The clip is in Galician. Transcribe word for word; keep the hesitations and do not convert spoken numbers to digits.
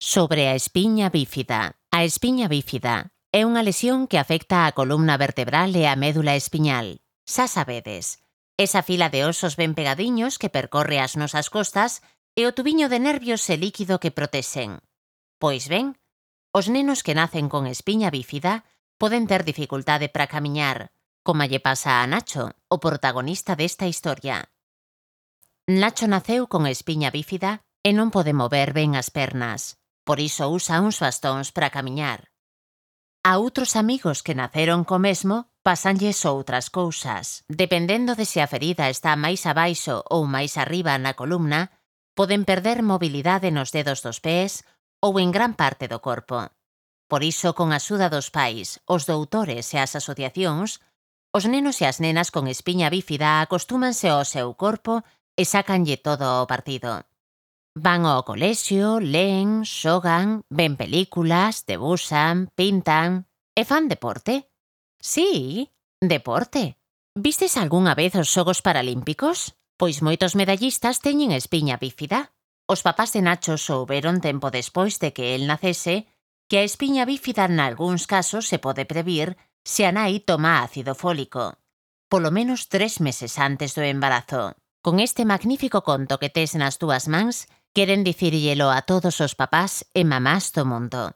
Sobre a espiña bífida. A espiña bífida é unha lesión que afecta a columna vertebral e a médula espiñal. Xa sabedes, esa fila de osos ben pegadiños que percorre as nosas costas e o tubiño de nervios e líquido que protexen. Pois ben, os nenos que nacen con espiña bífida poden ter dificultade para camiñar, como lle pasa a Nacho, o protagonista desta historia. Nacho naceu con espiña bífida e non pode mover ben as pernas. Por iso usa uns bastóns para camiñar. A outros amigos que naceron co mesmo, pasanlles outras cousas. Dependendo de se a ferida está máis abaixo ou máis arriba na columna, poden perder mobilidade nos dedos dos pés ou en gran parte do corpo. Por iso, con a axuda dos pais, os doutores e as asociacións, os nenos e as nenas con espiña bífida acostúmanse ao seu corpo e sácanlle todo o partido. Van ao colexio, leen, xogan, ven películas, debuxan, pintan e fan deporte. Sí, deporte. Vistes algunha vez os Xogos Paralímpicos? Pois moitos medallistas teñen espiña bífida. Os papás de Nacho souberon tempo despois de que el nacese que a espiña bífida nalgúns casos se pode previr se a nai toma ácido fólico, polo menos tres meses antes do embarazo. Con este magnífico conto que tes nas túas mans, queren dicírllelo a todos os papás e mamás do mundo.